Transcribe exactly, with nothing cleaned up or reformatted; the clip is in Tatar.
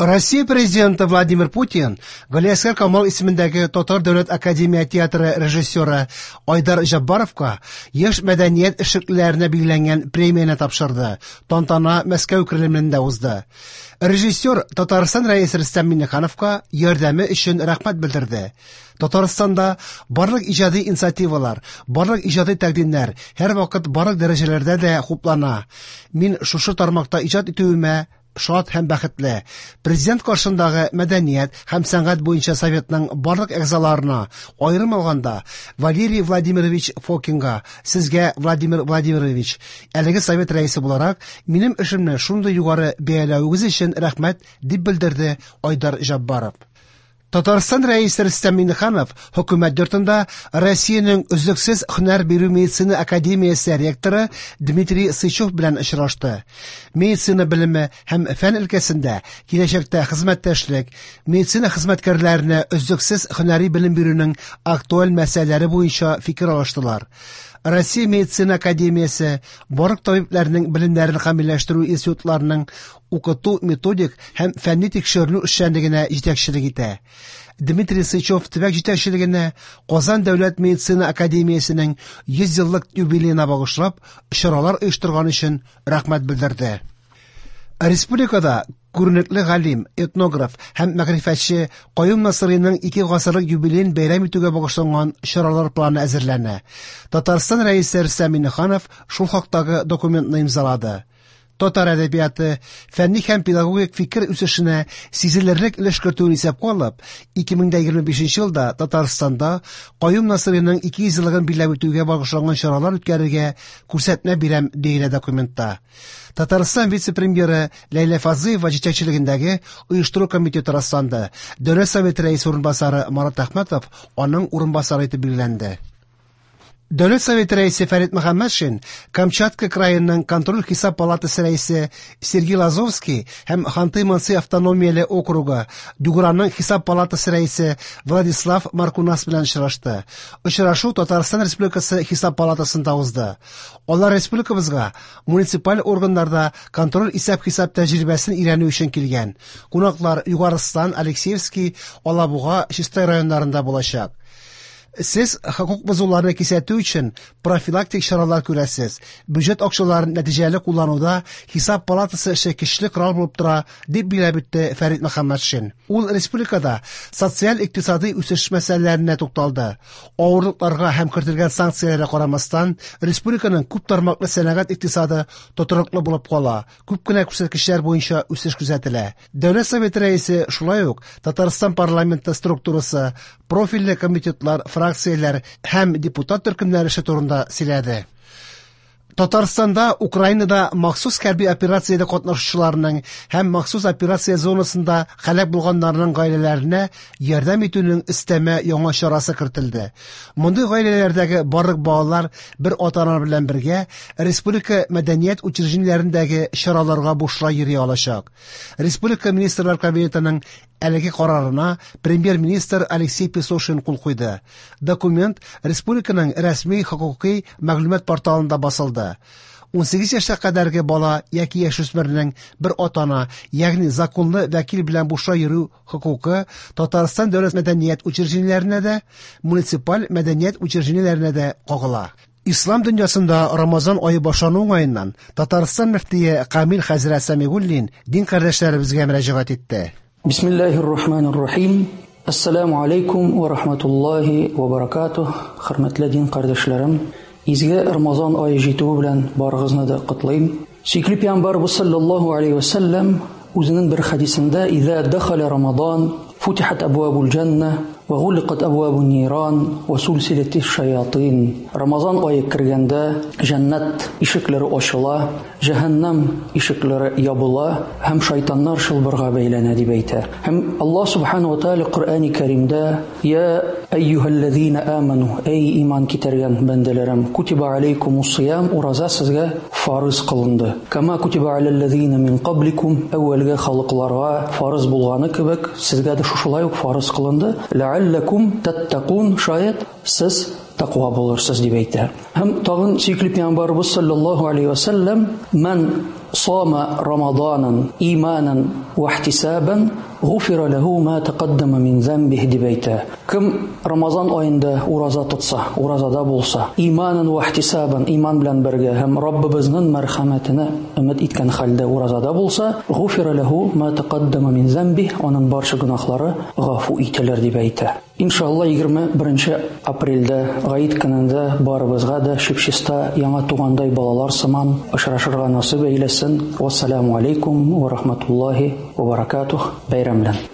Россия президенты Владимир Путин Галиәсгар Камал исемендәге Татар дәүләт академия театры режиссеры Айдар Җаббаровка яшь мәдәният эшлеклеләренә билгеләнгән премияне тапшырды. Тантана Мәскәү Кремлендә узды. Режиссер Татарстан Рәисе Рөстәм Миңнехановка ярдәме өчен рәхмәт белдерде. Татарстанда барлык иҗади инициативалар, барлык иҗади тәкъдимнәр һәрвакыт барлык дәрәҗәләрдә дә хуплана. Мин шушы тармакта иҗат итүемә шат һәм бәхетле. Президент каршындагы мәдәният һәм сәнгать буенча советның барлык әгъзаларына, аерым алганда Валерий Владимирович Фокинга, сезгә, Владимир Владимирович, әлеге совет рәисе буларак, минем эшемне шундый югары бәяләвегез өчен рәхмәт, дип белдерде Айдар Җаббаров. Татарстан Рәисе Рөстәм Миңнеханов хөкүмәт йортында Россиянең өзлексез һөнәр бирү медицина академиясе ректоры Дмитрий Сычев белән очрашты. Медицина белеме һәм фән өлкәсендә киләчәктә хезмәттәшлек, медицина хезмәткәрләренә өзлексез һөнәри белем бирүнең актуаль мәсьәләләре буенча фикер алыштылар. Россия медицина академиясе барлык табибләрнең белемнәрен камилләштерү институтларының укыту методик һәм фәнни тикшеренү эшчәнлегенә җитәкчелек итә. Дмитрий Сычев төбәк җитәкчелегенә Казан дәүләт медицина академиясенең йөз еллык юбилеена багышлап чаралар оештырган өчен рәхмәт белдерде. Республикада күренекле галим, этнограф һәм мәгърифәтче Каюм Насыйриның ике гасырлык юбилеен бәйрәм итүгә багышланган чаралар планы әзерләнә. Татарстан Рәисе Рөстәм Миңнеханов шул хактагы документны имзалады. Татар әдәбияты фәнни һәм педагогик фикер үсешенә сизелерлек өлеш кертүен исәпкә алып, ике мең дә егерме бишенче елда Татарстанда Каюм Насыйриның ике йөз еллыгын билгеләп үтүгә багышланган чаралар үткәрергә күрсәтмә бирәм, диелә документта. Татарстан вице-премьеры Ләйлә Фазлыева җитәкчелегендәге оештыру комитеты расланды. Дәүләт Советы рәисе урынбасары Марат Әхмәтов аның урынбасары итеп билгеләнде. Дәүләт Советы рәисе Фәрит Мөхәммәтшин, Камчатка краеның контроль хисап палатасы рәисе Сергей Лазовский һәм Ханты-Манси автономияле округы Юграның хисап палатасы рәисе Владислав Маркунас белән очрашты. Очрашу Татарстан Республикасы хисап палатасында узды. Алар республикабызга муниципаль органнарда контроль исәп-хисап тәҗрибәсен өйрәнү өчен килгән. Кунаклар Югарыстан, Алексеевский, Алабуга, Чистай районнарында булачак. Сез хокук бозуларны кисәтү өчен профилактик чаралар күрәсез. Бюджет акчаларын нәтиҗәле куллануда хисап палатасы эше көчле корал булып тора, дип билгеләп үтте Фәрит Мөхәммәтшин. Ул республикада социаль-икътисади үсеш мәсьәләләренә тукталды. Авырлыкларга һәм кертелгән санкцияләргә карамастан, республиканың күп тармаклы сәнәгать икътисады тотрыклы булып кала. Күп кенә күрсәткечләр буенча үсеш күзәтелә. Дәүләт Советы рәисе шулай ук Татарстан парламенты структурасы, профильле комитетлар, фракцияләр һәм депутат төркемнәре эше турында сөйләде. Татарстанда Украинада махсус хәрби операциядә катнашучыларның һәм махсус операция зонасында һәлак булганнарның гаиләләренә ярдәм итүнең өстәмә яңа чарасы кертелде. Мондый гаиләләрдәге барлык балалар бер ата-ана белән бергә республика мәдәният учреждениеләрендәге чараларга бушлай йөри алачак. Республика Министрлар Кабинетының әлеге карарына премьер-министр Алексей Песошин кул куйды. Документ республиканың рәсми хокукый мәгълүмат порталында басылды. ун сигез яшькә кадәрге бала яки яшүсмернең бер ата-ана, ягъни законлы вәкил белән бушлай йөрү хокукы Татарстан дәүләт мәдәният учреждениеләренә дә, муниципаль мәдәният учреждениеләренә дә кагыла. Ислам дөньясында Рамазан ае башлану уңаеннан Татарстан мөфтие Камил хәзрәт Сәмигуллин дин кардәшләребезгә мөрәҗәгать итте. Бисмиллахир рахманир рахим. Ассаламу алейкум ва рахматуллахи ва баракатух. Хөрмәтле дин кардәшләрем, изге Рамазан ае җитүе белән барыгызны да котлыйм. Сөекле пәйгамбәрбез саллаллаһу алейхи ва саллям үзенең бер хәдисендә: "Иза дахаля Рамадан, футихат абвабул җанна ва гуликат абвабун ниран ва сулсилатиш шаятин." Рамазан ае кергәндә җәннәт ишекләре ачыла, җәһәннәм ишекләре ябыла һәм шайтаннар чылбырга бәйләнә дип әйтә. Һәм Аллаһ субханаһу ва тааля Коръәни Кәримдә: "Я әйюһәлләзина аману, эй иман китергән бәндәләрем, кутиба алейкумус сиям, ураза сезгә фарыз кылынды. Кама кутиба алаллазина мин кабликум, әүвәлге халыкларга фарыз булганы кебек, сезгә дә шушылай ук фарыз кылынды. Ләалләкум таттакун, шаят сез тәкъва булырсыз дип әйтә. Һәм тагын сөекле пәйгамбәрбез саллаллаһу алейхи ва саллям: "Ман сама Рамаданан иманан ва ихтисабан гуфира лаху ма тaqaddama мин замбих дип әйтә. Кем Рамазан аенда ураза тотса, уразада булса, иманан ва ихтисабан, иман белән бергә һәм Раббыбызның мәрхәмәтенә өмет иткән хәлдә уразада булса, гуфира лаху ма тaqaddama мин замбих, аның барча гөнаһлары гафу ителер дип әйтә. Иншалла егерме беренче апрельдә Гает көнендә барыбызга да чип-чиста яңа тугандай балалар сыман очрашырга насыйп әйләсен. Вассаламу алейкум ва рахматуллахи ва баракатух. Бәйрәм белән.